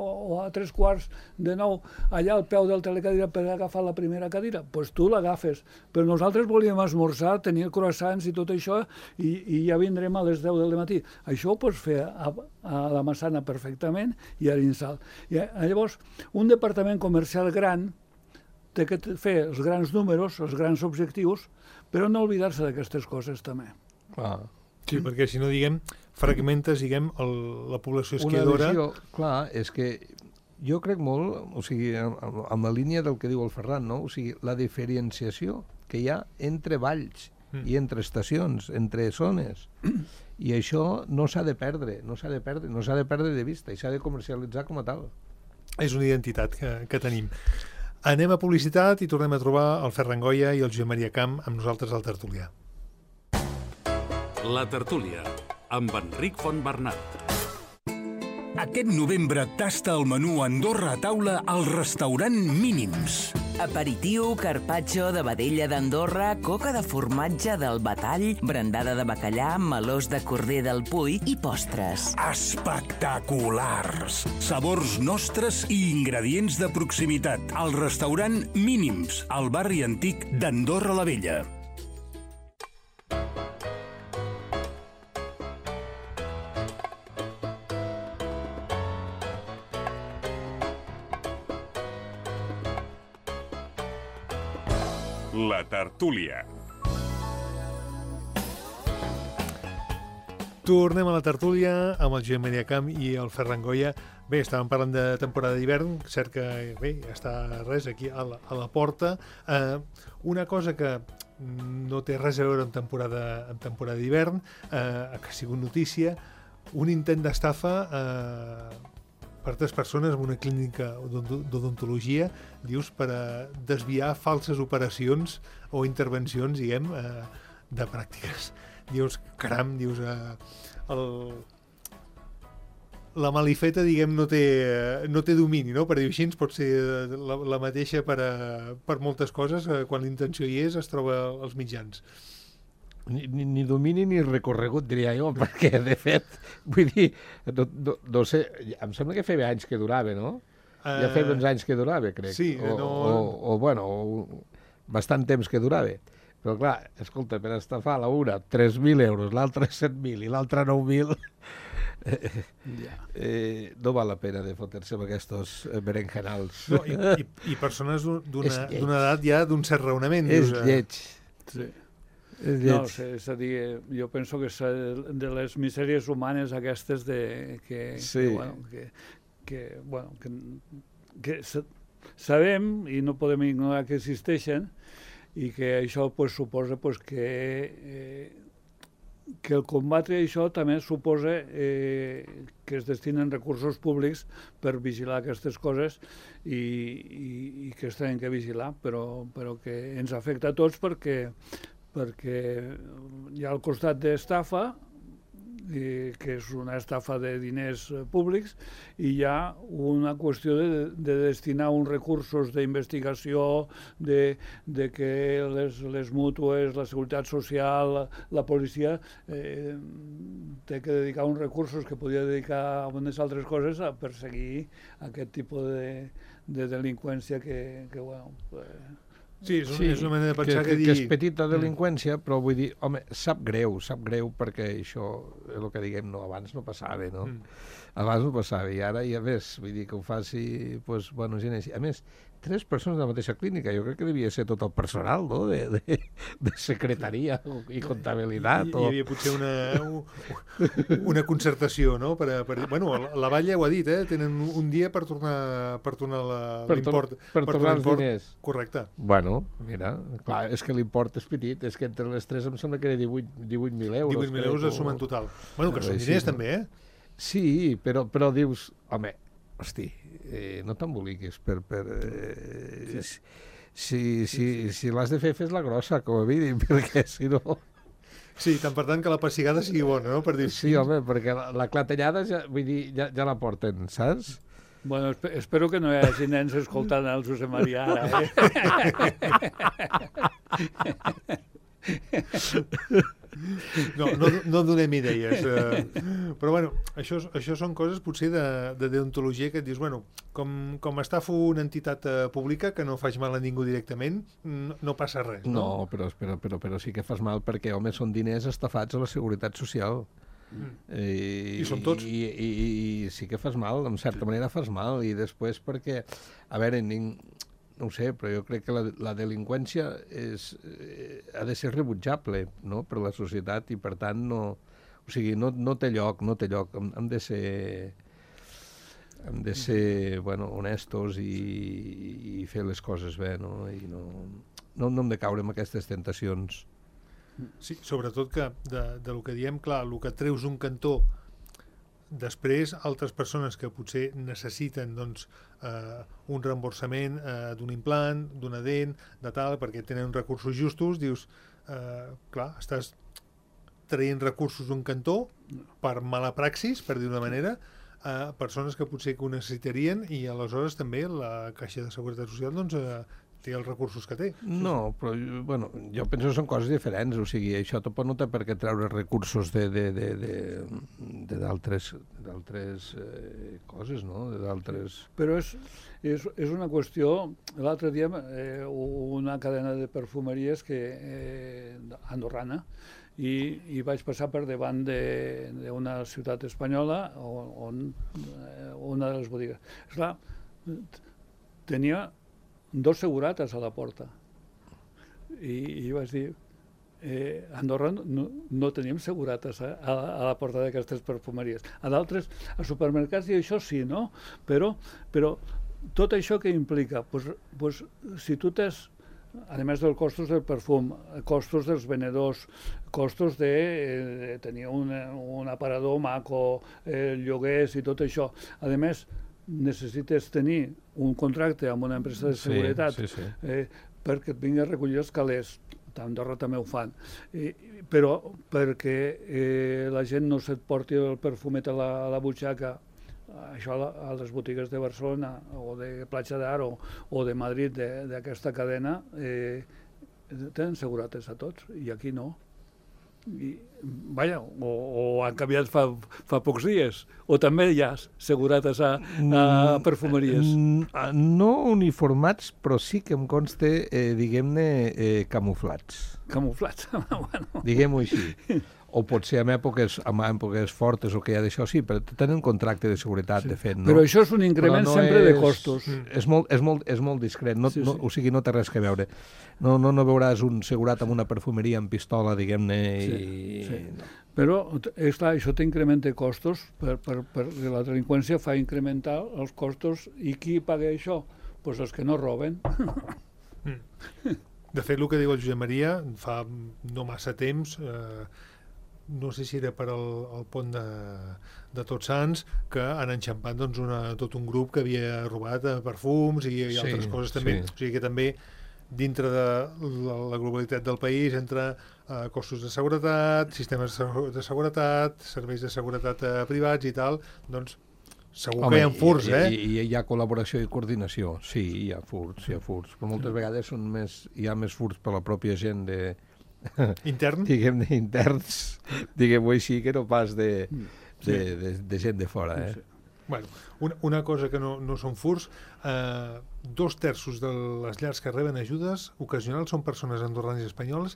o a tres quarts de nou allà al peu del telecadira per agafar la primera cadira, doncs pues tu l'agafes. Però nosaltres volíem esmorzar, tenir croissants i tot això, i, i ja vindrem a les deu del matí. Això ho pots fer a, a la Massana perfectament i a Arinsal. I llavors, un departament comercial gran té que fer els grans números, els grans objectius, però no oblidar-se d'aquestes coses també. Clar. Sí, perquè si no, diguem, fragmentes, diguem, el, la població esquiadora... Una visió, clar, és que jo crec molt, o sigui, amb, amb la línia del que diu el Ferran, no? O sigui, la diferenciació que hi ha entre valls mm. i entre estacions, entre zones, i això no s'ha de perdre, no s'ha de perdre, no s'ha de perdre de vista, i s'ha de comercialitzar com a tal. És una identitat que, que tenim. Anem a publicitat i tornem a trobar el Ferran Goya i el Josep Maria Camp amb nosaltres al Tertulià. La Tertúlia, amb Enric Fontbernat. Aquest novembre tasta el menú Andorra a taula al restaurant Mínims. Aperitiu, carpaccio de vedella d'Andorra, coca de formatge del Batall, brandada de bacallà, melós de corder del Puy i postres. Espectaculars! Sabors nostres i ingredients de proximitat. Al restaurant Mínims, al barri antic d'Andorra la Vella. La Tertúlia. Tornem a la tertúlia amb el Josep Maria Camp i el Ferran Goya. Bé, estàvem parlant de temporada d'hivern, cert que bé, està res aquí a la, a la porta. Eh, una cosa que no té res a veure amb temporada, amb temporada d'hivern, eh, que ha sigut notícia, un intent d'estafa eh, per tres persones en una clínica d'odontologia, dius, per a desviar falses operacions o intervencions, diguem, eh, de pràctiques. Dius, caram, dius, eh, el... la malifeta, diguem, no té, no té domini, no? Per dir així, pot ser la, la mateixa per, a, per moltes coses, eh, quan l'intenció hi és, es troba als mitjans. ni, ni, ni domini ni recorregut, diria jo, perquè, de fet, vull dir, no, no, no sé, em sembla que feia anys que durava, no? Uh, ja feia uns anys que durava, crec. Sí, o, no... O, o, bueno, o, bastant temps que durava. Però, clar, escolta, per estafar la una tres mil euros, l'altra set mil i l'altra nou mil... Eh, yeah. eh, no val la pena de fotre-se amb aquests berenjenals. No, i, i, I persones d'una edat ja d'un cert raonament. És dius, lleig. Sí. És lleig. No, és a dir, jo penso que és de les misèries humanes aquestes de, que, sí. que, bueno, que, que, bueno, que, que sabem i no podem ignorar que existeixen i que això pues, suposa pues, que eh, que el combatre això també suposa eh, que es destinen recursos públics per vigilar aquestes coses i, i, i que es tenen que vigilar, però, però que ens afecta a tots perquè, perquè hi ha al costat d'estafa, eh, que és una estafa de diners públics, i hi ha una qüestió de, de destinar uns recursos d'investigació, de, de que les, les mútues, la seguretat social, la, la policia, eh, té que dedicar uns recursos que podria dedicar a unes altres coses a perseguir aquest tipus de, de delinqüència que, que bueno... Eh, Sí, és, un, sí, és una manera de pensar que, que, que dir... que és petita delinqüència, però vull dir, home, sap greu, sap greu perquè això és el que diguem, no, abans no passava, no? Mm. Abans no passava, i ara, i a més, vull dir que ho faci, pues, bueno, gent així. A més, tres persones de la mateixa clínica, jo crec que devia ser tot el personal, no?, de, de, de secretaria i comptabilitat. I, o... Hi havia potser una, una concertació, no?, per, a, per, bueno, la Vall ja ho ha dit, eh?, tenen un dia per tornar, per tornar l'import. Per, per, per tornar els diners. Correcte. Bueno, mira, clar, és que l'import és petit, és que entre les tres em sembla que era divuit mil euros. divuit mil euros de suma en total. Bueno, que són diners no? també, eh? Sí, però, però dius, home, hosti, eh, no t'emboliquis per... per eh, sí. Si, si, si l'has de fer, fes-la grossa, com a mínim, perquè si no... Sí, tant per tant que la pessigada sigui bona, no? Per dir... Sí, home, perquè la, la clatellada ja, vull dir, ja, ja la porten, saps? Bueno, esp espero que no hi hagi nens escoltant el Josep Maria ara, eh? No, no, no donem idees. Eh, però, bueno, això, això són coses potser de, de deontologia que et dius, bueno, com, com estafo una entitat eh, pública que no faig mal a ningú directament, no, no passa res, no? No, però, però, però, però sí que fas mal perquè, home, són diners estafats a la Seguretat Social. Mm. I, I som tots. I, i, i sí que fas mal, en certa manera fas mal, i després perquè, a veure, ning, no ho sé, però jo crec que la, la delinqüència és, eh, ha de ser rebutjable, no?, per la societat, i per tant no, o sigui, no, no té lloc, no té lloc, hem, hem de ser hem de ser, bueno, honestos i, i fer les coses bé, no?, i no, no, no hem de caure en aquestes tentacions. Sí, sobretot que de, de lo que diem, clar, el que treus un cantó, després altres persones que potser necessiten doncs, eh, un reemborsament eh, d'un implant, d'una dent, de tal, perquè tenen recursos justos, dius, eh, clar, estàs traient recursos d'un cantó per mala praxis, per dir d'una manera, a persones que potser que ho necessitarien, i aleshores també la Caixa de Seguretat Social doncs, eh, té els recursos que té. No, però bueno, jo penso que són coses diferents, o sigui, això tampoc no té per què treure recursos de de, de, de, de d'altres d'altres eh, coses, no?, de d'altres... Però és, és, és una qüestió, l'altre dia eh, una cadena de perfumeries que eh, andorrana, i, i vaig passar per davant d'una ciutat espanyola on, on eh, una de les botigues. Esclar, tenia dos segurates a la porta. I, i vaig dir, eh, a Andorra no, no teníem segurates a, a, a la porta d'aquestes perfumeries. A d'altres, a supermercats i això sí, no? Però, però tot això que implica, pues, pues, si tu tens, a més dels costos del perfum, costos dels venedors, costos de eh, tenir un, un aparador maco, eh, lloguers i tot això. A més, necessites tenir un contracte amb una empresa de seguretat, sí, sí, sí. Eh, perquè et vingui a recollir els calés. A Andorra també ho fan. Eh, però perquè eh, la gent no se't porti el perfumet a la, a la butxaca, això a, la, a les botigues de Barcelona o de Platja d'Aro o de Madrid d'aquesta cadena, eh, tenen segurates a tots, i aquí no. I, vaja, o, o han canviat fa, fa pocs dies, o també hi ha segurates a, a perfumeries. No uniformats, però sí que em consta, eh, diguem-ne, eh, camuflats. Camuflats, bueno. Diguem-ho així. O potser en èpoques, en èpoques fortes o que hi ha d'això, sí, però tenen contracte de seguretat, sí. de fet. No? Però això és un increment no sempre és, de costos. És molt, és molt, és molt discret, no, sí, sí. No, o sigui, no té res que veure. No, no, no veuràs un segurat amb una perfumeria amb pistola, diguem-ne, sí, i... Sí. No. Però, és clar, això t'incrementa costos, per, per, per, la delinqüència fa incrementar els costos, i qui paga això? Doncs pues els que no roben. Mm. De fet, el que diu el Josep Maria, fa no massa temps... Eh, no sé si era per al, al pont de, de Tots Sants, que han enxampat doncs, una, tot un grup que havia robat perfums i, i altres sí, coses també. Sí. O sigui que també dintre de la, la globalitat del país, entre eh, costos de seguretat, sistemes de seguretat, serveis de seguretat eh, privats i tal, doncs segur Home, que hi ha furts, i, eh? I, i hi ha col·laboració i coordinació. Sí, hi ha furts, hi ha furts. Però moltes vegades són més, hi ha més furts per la pròpia gent de... intern? Diguem-ne, interns, diguem-ho així, que no pas de, de, de, de gent de fora, eh? Sí. Bueno, una, una cosa que no, no són furts, eh, dos terços de les llars que reben ajudes ocasionals són persones andorranes i espanyoles.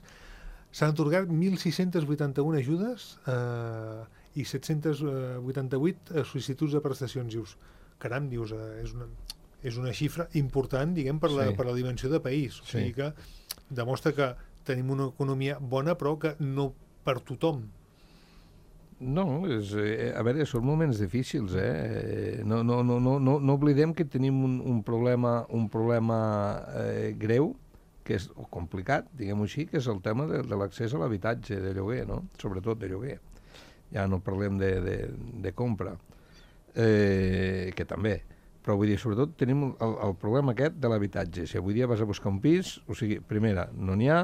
S'han atorgat mil sis-cents vuitanta-una ajudes eh, i set-cents vuitanta-vuit sol·licituds de prestacions. Dius, caram, dius, eh, és, una, és una xifra important, diguem, per la, sí. per la dimensió de país. O sigui sí. que demostra que tenim una economia bona, però que no per tothom. No, és, eh, a veure, són moments difícils, eh? No, no, no, no, no, no oblidem que tenim un, un problema, un problema eh, greu, que és o complicat, diguem-ho així, que és el tema de, de l'accés a l'habitatge de lloguer, no? Sobretot de lloguer. Ja no parlem de, de, de compra, eh, que també. Però vull dir, sobretot tenim el, el problema aquest de l'habitatge. Si avui dia vas a buscar un pis, o sigui, primera, no n'hi ha,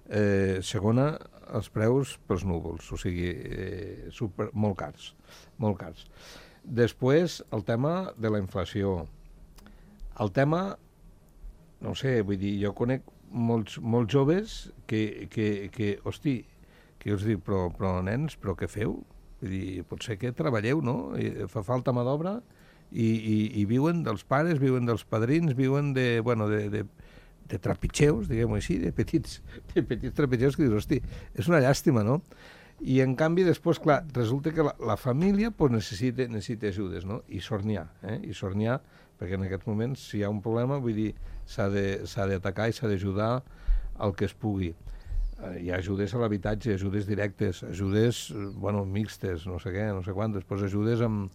eh, segona, els preus pels núvols, o sigui, eh, super, molt cars, molt cars. Després, el tema de la inflació. El tema, no sé, vull dir, jo conec molts, molts joves que, que, que hosti, que us dic, però, però nens, però què feu? Vull dir, potser que treballeu, no? I fa falta mà d'obra, I, i, i viuen dels pares, viuen dels padrins, viuen de, bueno, de, de, de trepitgeus, diguem-ho així, de petits, de petits trepitgeus que dius, hosti, és una llàstima, no? I en canvi després, clar, resulta que la, la família pues, necessita, necessita ajudes, no? I sort n'hi ha, eh? I sort n'hi ha, perquè en aquests moments, si hi ha un problema, vull dir, s'ha d'atacar i s'ha d'ajudar el que es pugui. Eh, hi ha ajudes a l'habitatge, ajudes directes, ajudes, bueno, mixtes, no sé què, no sé quantes, després ajudes amb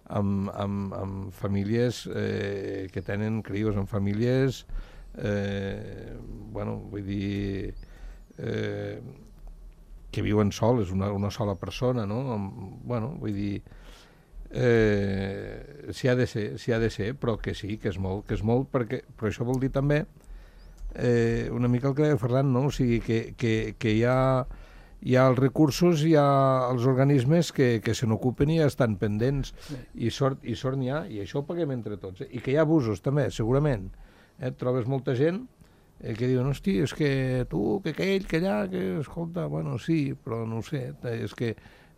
Amb, amb, amb famílies eh, que tenen crios, amb famílies eh, bueno, vull dir eh, que viuen soles, una, una sola persona, no? Amb, bueno, vull dir eh, si ha de ser, si ha de ser, però que sí, que és molt, que és molt perquè, però això vol dir també eh, una mica el que deia Ferran, no? O sigui, que, que, que hi ha hi ha els recursos, hi ha els organismes que, que se n'ocupen i ja estan pendents, sí. i sort i sort n'hi ha, i això ho paguem entre tots. Eh? I que hi ha abusos també, segurament. Eh? Et trobes molta gent eh, que diuen, hosti, és que tu, que aquell, que allà, que escolta, bueno, sí, però no ho sé, és que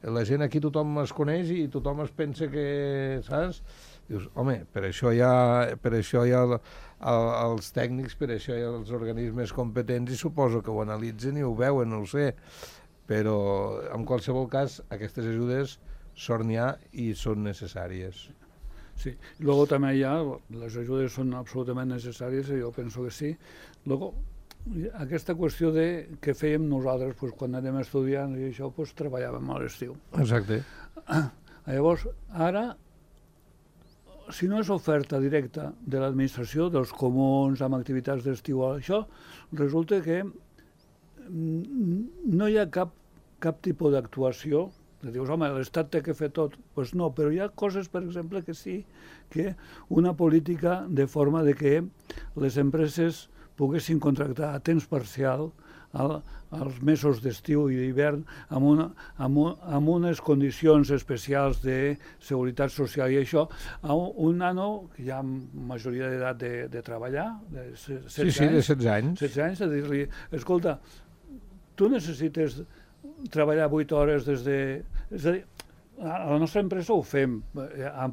la gent aquí tothom es coneix i tothom es pensa que, saps? Dius, home, per això hi ha, per això hi ha el, el, els tècnics, per això hi ha els organismes competents i suposo que ho analitzen i ho veuen, no ho sé. Però en qualsevol cas aquestes ajudes sort n'hi ha i són necessàries. Sí, luego també hi ha, les ajudes són absolutament necessàries, jo penso que sí. Luego, aquesta qüestió de què fèiem nosaltres pues, quan anem estudiant i això, pues, treballàvem a l'estiu. Exacte. Llavors, ara, si no és oferta directa de l'administració, dels comuns, amb activitats d'estiu, això, resulta que no hi ha cap, cap tipus d'actuació. Dius, home, l'Estat té que fer tot. Doncs pues no, però hi ha coses, per exemple, que sí, que una política de forma de que les empreses poguessin contractar a temps parcial al, als mesos d'estiu i d'hivern amb, una, amb, un, amb unes condicions especials de seguretat social i això, a un, un nano que hi ha majoria d'edat de, de treballar, de setze sí, sí, anys, de setze anys. setze anys, a dir-li, escolta, tu necessites treballar vuit hores des de... És a dir, a la nostra empresa ho fem en,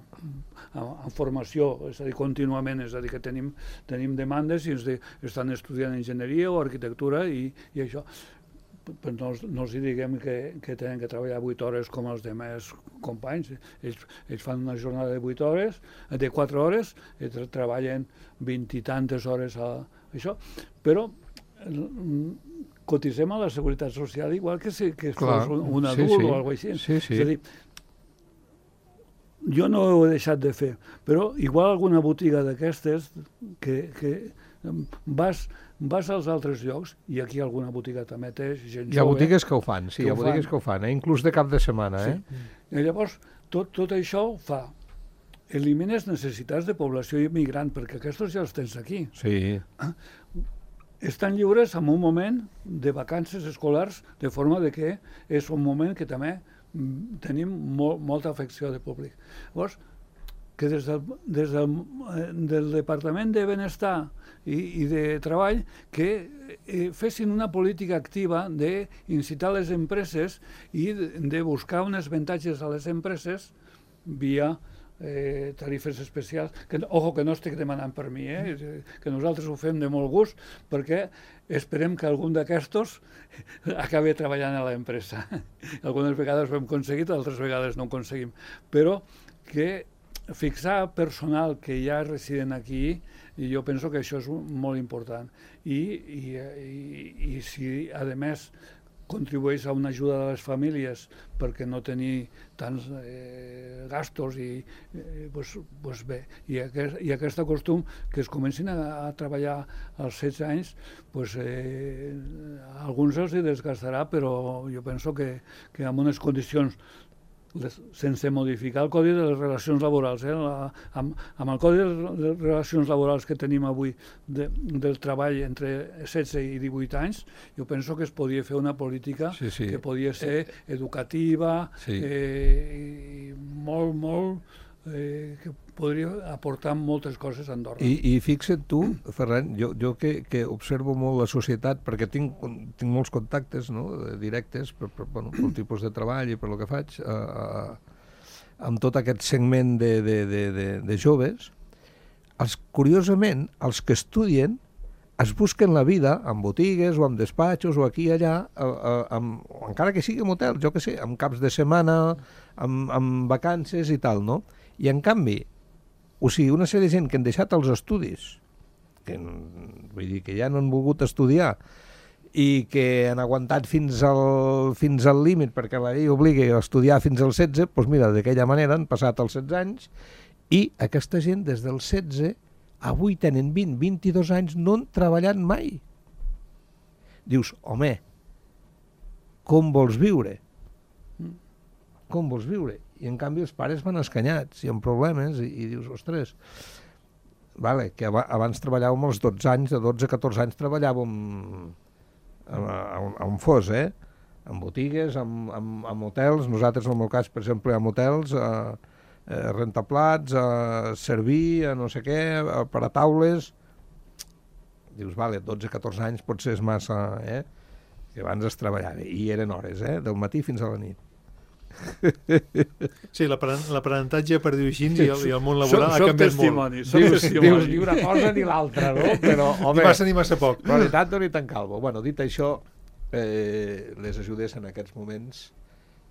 en formació, és a dir, contínuament, és a dir, que tenim, tenim demandes i ens de, estan estudiant enginyeria o arquitectura i, i això. Però no, no els diguem que, que tenen que treballar vuit hores com els demés companys. Ells, ells fan una jornada de vuit hores, de quatre hores, i treballen vint i tantes hores a això, però cotitzem a la Seguretat Social igual que si que fos un, un adult sí, sí. o alguna cosa així. Sí, sí. És a dir, jo no ho he deixat de fer, però igual alguna botiga d'aquestes que, que vas, vas als altres llocs, i aquí alguna botiga també té gent jove. Hi ha botigues que ho fan, sí, que hi ha botigues fan. que ho fan, eh? Inclús de cap de setmana. Eh? Sí. I llavors, tot, tot això fa elimines necessitats de població immigrant, perquè aquests ja els tens aquí. Sí. Estan lliures en un moment de vacances escolars, de forma de que és un moment que també tenim molt, molta afecció de públic. Llavors, que des del, des del, del Departament de Benestar i, i de Treball que eh, fessin una política activa d'incitar les empreses i de, de buscar uns avantatges a les empreses via Eh, tarifes especials, que, ojo, que no estic demanant per mi, eh? Que nosaltres ho fem de molt gust, perquè esperem que algun d'aquestos acabi treballant a l'empresa. Algunes vegades ho hem aconseguit, altres vegades no ho aconseguim, però que fixar personal que ja residen aquí, i jo penso que això és molt important. I, i, i, i si, a més, contribueix a una ajuda de les famílies perquè no tenir tants eh, gastos i eh, pues, pues bé, i aquest, i aquest costum que es comencin a, a treballar als setze anys, pues, eh, a alguns els hi desgastarà, però jo penso que, que amb unes condicions les, sense modificar el Codi de les Relacions Laborals. Eh? La, amb, amb el Codi de les Relacions Laborals que tenim avui de, del treball entre setze i divuit anys, jo penso que es podia fer una política sí, sí. que podia ser educativa, sí. eh, i molt, molt... Eh, que podria aportar moltes coses a Andorra. I, i fixa't tu, Ferran, jo, jo que, que observo molt la societat, perquè tinc, tinc molts contactes, no?, directes per, per, bueno, pel tipus de treball i per el que faig, eh, eh, amb tot aquest segment de, de, de, de, de joves, els, curiosament, els que estudien es busquen la vida en botigues o en despatxos o aquí i allà, eh, eh, amb, encara que sigui en hotels, jo que sé, amb caps de setmana, amb, amb vacances i tal, no? I en canvi, o sigui, una sèrie de gent que han deixat els estudis, que, vull dir, que ja no han volgut estudiar i que han aguantat fins al, fins al límit perquè la llei obliga a estudiar fins als setze, doncs mira, d'aquella manera han passat els setze anys i aquesta gent des dels setze avui tenen vint, vint-i-dos anys, no han treballat mai. Dius, home, com vols viure? Com vols viure? I en canvi els pares van escanyats i amb problemes i, i dius, ostres, vale, que abans treballàvem als dotze anys, de dotze a catorze anys treballàvem a, a, a on fos, eh? En botigues, en, en, en hotels, nosaltres en el meu cas, per exemple, en hotels, a, a rentaplats, a servir, a no sé què, a, per a taules. Dius, vale, dotze a catorze anys potser és massa, eh? Que abans es treballava, i eren hores, eh? Del matí fins a la nit. Sí, l'aprenentatge, per dir-ho així, i el, i el món laboral soc, ha canviat testimoni, molt. Dius, testimoni. Dius ni una cosa ni l'altra, no? Però, home, ni massa ni massa poc. Però ni tant ni tan calvo. Bueno, dit això, eh, les ajudes en aquests moments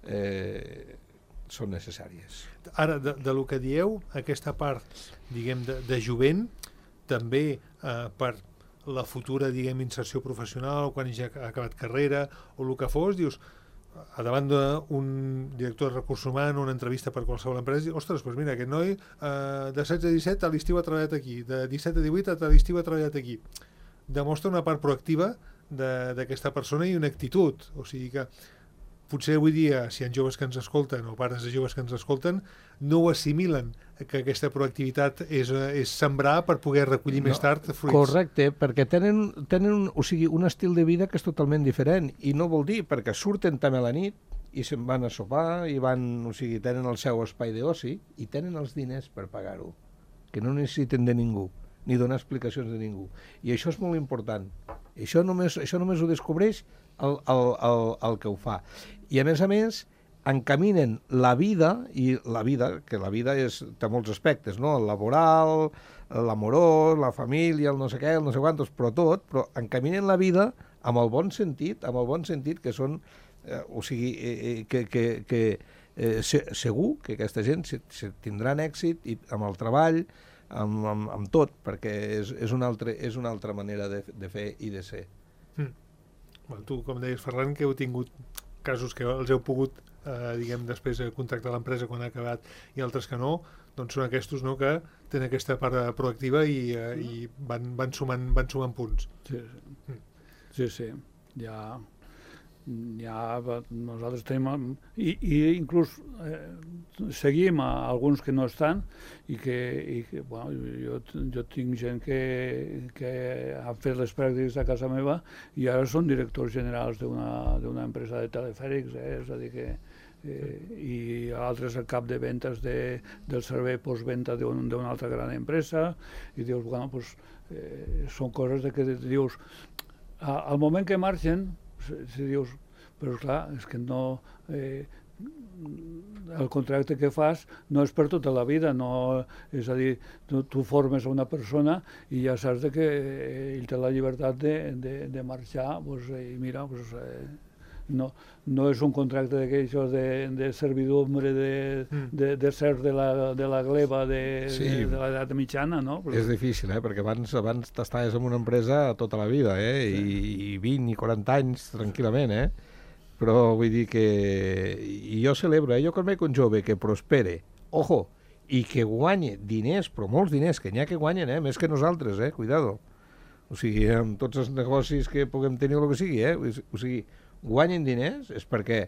eh, són necessàries. Ara, de, de lo que dieu, aquesta part, diguem, de, de jovent, també eh, per la futura, diguem, inserció professional, quan ja ha acabat carrera, o el que fos, dius, a davant d'un director de recursos humans, una entrevista per qualsevol empresa, i, ostres, doncs mira, aquest noi eh, de setze a disset a l'estiu ha treballat aquí, de disset a divuit a l'estiu ha treballat aquí. Demostra una part proactiva d'aquesta persona i una actitud. O sigui que potser avui dia, si hi ha joves que ens escolten o pares de joves que ens escolten, no ho assimilen, que aquesta proactivitat és, és sembrar per poder recollir no, més tard fruits. Correcte, perquè tenen, tenen un, o sigui, un estil de vida que és totalment diferent, i no vol dir perquè surten també a la nit i se'n van a sopar i van, o sigui, tenen el seu espai d'oci i tenen els diners per pagar-ho, que no necessiten de ningú, ni donar explicacions de ningú. I això és molt important. Això només, això només ho descobreix el, el, el, el que ho fa. I, a més a més, encaminen la vida, i la vida, que la vida és, té molts aspectes, no? El laboral, l'amorós, la família, el no sé què, el no sé quantos, però tot, però encaminen la vida amb el bon sentit, amb el bon sentit que són, eh, o sigui, eh, que, que, que eh, se, segur que aquesta gent se, se tindran èxit i amb el treball, amb, amb, amb tot, perquè és, és, una altra, és una altra manera de, de fer i de ser. Mm. Bueno, tu, com deies, Ferran, que heu tingut casos que els heu pogut, eh, diguem, després contactar l'empresa quan ha acabat i altres que no, doncs són aquests, no?, que tenen aquesta part proactiva i, eh, i van, van, sumant, van sumant punts. Sí, sí. Mm. sí, sí. Ja, ja nosaltres tenim... I, i inclús eh, seguim a alguns que no estan i que, i que bueno, jo, jo tinc gent que, que ha fet les pràctiques a casa meva i ara són directors generals d'una empresa de telefèrics, eh? És a dir que eh, i altres al cap de ventes de, del servei postventa d'una un, altra gran empresa i dius, bueno, pues, eh, són coses de que dius a, al moment que marxen si, si dius, però clar, és que no eh, el contracte que fas no és per tota la vida, no, és a dir, tu, tu formes a una persona i ja saps de que ell té la llibertat de, de, de marxar, pues, i mira, pues, eh, no, no és un contracte d'aquells de, de servidumbre, de, mm. de, de ser de la, de la gleba de, sí. de, de l'edat mitjana, no? Però... És difícil, eh? Perquè abans, abans t'estaves en una empresa tota la vida, eh? Sí. I, i vint i quaranta anys tranquil·lament, eh? Però vull dir que... I jo celebro, eh? Jo quan veig un jove que prospere, ojo, i que guanye diners, però molts diners, que n'hi ha que guanyen, eh? Més que nosaltres, eh? Cuidado. O sigui, amb tots els negocis que puguem tenir o el que sigui, eh? O sigui, guanyen diners és perquè,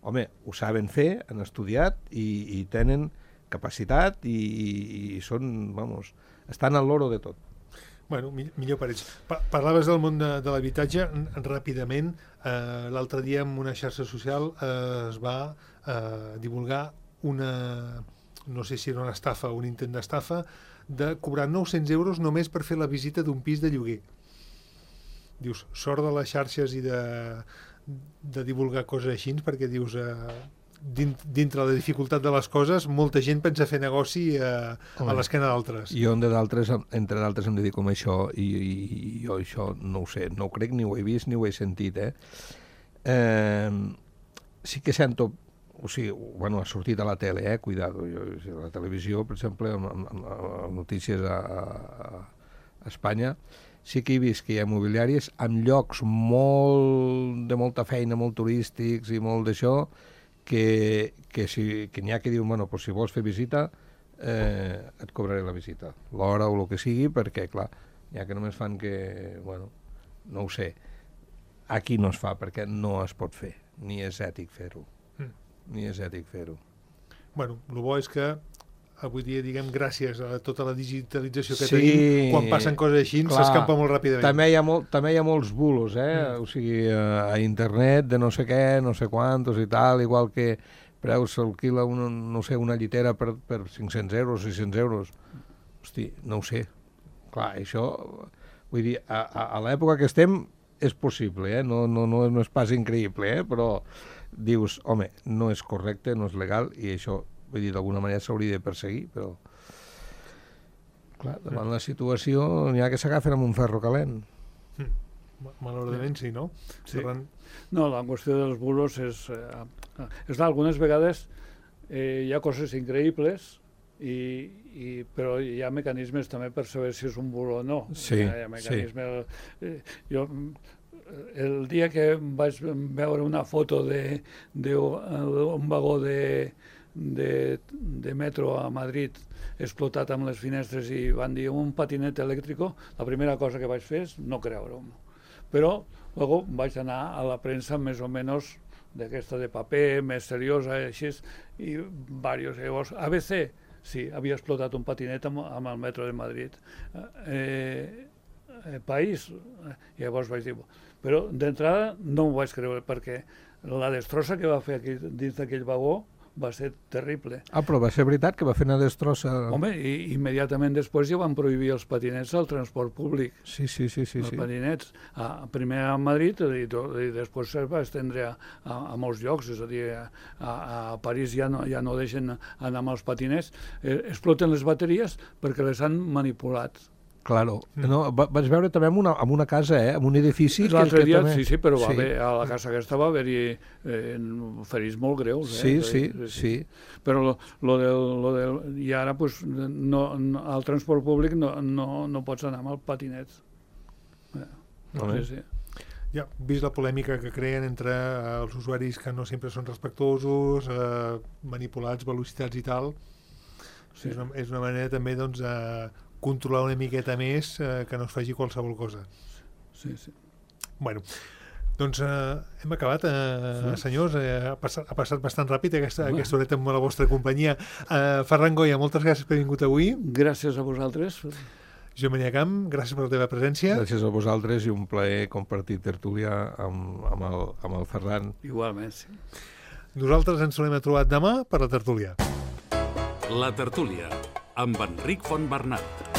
home, ho saben fer, han estudiat i, i tenen capacitat i, i, i són, vamos, estan al loro de tot. Bueno, millor per ells. Pa parlaves del món de, de l'habitatge ràpidament. Eh, L'altre dia en una xarxa social eh, es va eh, divulgar una, no sé si era una estafa o un intent d'estafa, de cobrar nou-cents euros només per fer la visita d'un pis de lloguer. Dius, sort de les xarxes i de, de divulgar coses així, perquè dius... Eh, dintre la dificultat de les coses, molta gent pensa fer negoci a, a l'esquena d'altres. Jo, entre d'altres, entre d'altres em dedico a això i, i, i jo això no ho sé, no ho crec, ni ho he vist, ni ho he sentit, eh? eh sí que sento, o sigui, bueno, ha sortit a la tele, eh? Cuidado, jo, a la televisió, per exemple, amb, amb, amb notícies a, a, a Espanya, sí que he vist que hi ha immobiliàries amb llocs molt, de molta feina, molt turístics i molt d'això, que, que, si, que n'hi ha que diuen, bueno, pues si vols fer visita, eh, et cobraré la visita, l'hora o el que sigui, perquè, clar, n'hi ha que només fan que, bueno, no ho sé, aquí no es fa, perquè no es pot fer, ni és ètic fer-ho, mm. ni és ètic fer-ho. Bueno, el bo és que avui dia, diguem, gràcies a tota la digitalització que sí, tenim, quan passen coses així, s'escampa molt ràpidament. També hi ha, molt, també hi ha molts bulos, eh? Mm. O sigui, a, a internet de no sé què, no sé quantos i tal, igual que preus s'alquila una, no sé, una llitera per, per cinc-cents euros, sis-cents euros. Hosti, no ho sé. Clar, això, vull dir, a, a, a l'època que estem és possible, eh? No, no, no, no és pas increïble, eh? Però dius, home, no és correcte, no és legal, i això, vull dir, d'alguna manera s'hauria de perseguir, però clar, davant la situació n'hi ha que s'agafen amb un ferro calent. Mm. Malauradament sí, no? Sí. Ferran... No, la qüestió dels bulos és... Eh, és algunes vegades eh, hi ha coses increïbles, i, i, però hi ha mecanismes també per saber si és un bulo o no. Sí, hi ha mecanismes... Sí. Eh, jo, el dia que vaig veure una foto d'un vagó de... De, de metro a Madrid explotat amb les finestres i van dir un patinet elèctric, la primera cosa que vaig fer és no creure-ho. Però després vaig anar a la premsa més o menys d'aquesta de paper, més seriosa, així, i diversos. Llavors, A B C, sí, havia explotat un patinet amb, amb el metro de Madrid. Eh, eh, País, eh, llavors vaig dir... Però d'entrada no m'ho vaig creure, perquè la destrossa que va fer aquí dins d'aquell vagó va ser terrible. Ah, però va ser veritat que va fer una destrossa... Home, i immediatament després ja van prohibir els patinets al transport públic. Sí, sí, sí, sí. Els sí. patinets, a, primer a Madrid i, to, i després es va estendre a, a, a molts llocs, és a dir, a, a París ja no, ja no deixen anar amb els patinets, eh, exploten les bateries perquè les han manipulat. Claro. No, va, vaig veure també en una, en una casa, eh, en un edifici... L'altre dia, també... sí, sí, però va sí. haver, a la casa aquesta va haver-hi eh, ferits molt greus. Eh? Sí, sí, sí, sí. Però lo, lo del, lo del, i ara, pues, no, no, al transport públic no, no, no pots anar amb el patinet. Eh, no, sí, sí. Ja, vist la polèmica que creen entre eh, els usuaris que no sempre són respectuosos, eh, manipulats, velocitats i tal, sí. és, una, és una manera també, doncs, eh, controlar una miqueta més eh, que no es faci qualsevol cosa. Sí, sí. Bueno, doncs eh, hem acabat, eh, sí. senyors, eh, ha, passat, ha passat bastant ràpid aquesta, bueno. aquesta horeta amb la vostra companyia. Eh, Ferran Goya, moltes gràcies per haver vingut avui. Gràcies a vosaltres. Jo Maria Camp, gràcies per la teva presència. Gràcies a vosaltres i un plaer compartir tertúlia amb, amb, el, amb el Ferran. Igualment, sí. Nosaltres ens tornem a trobar demà per la tertúlia. La tertúlia, amb Enric Fontbernat.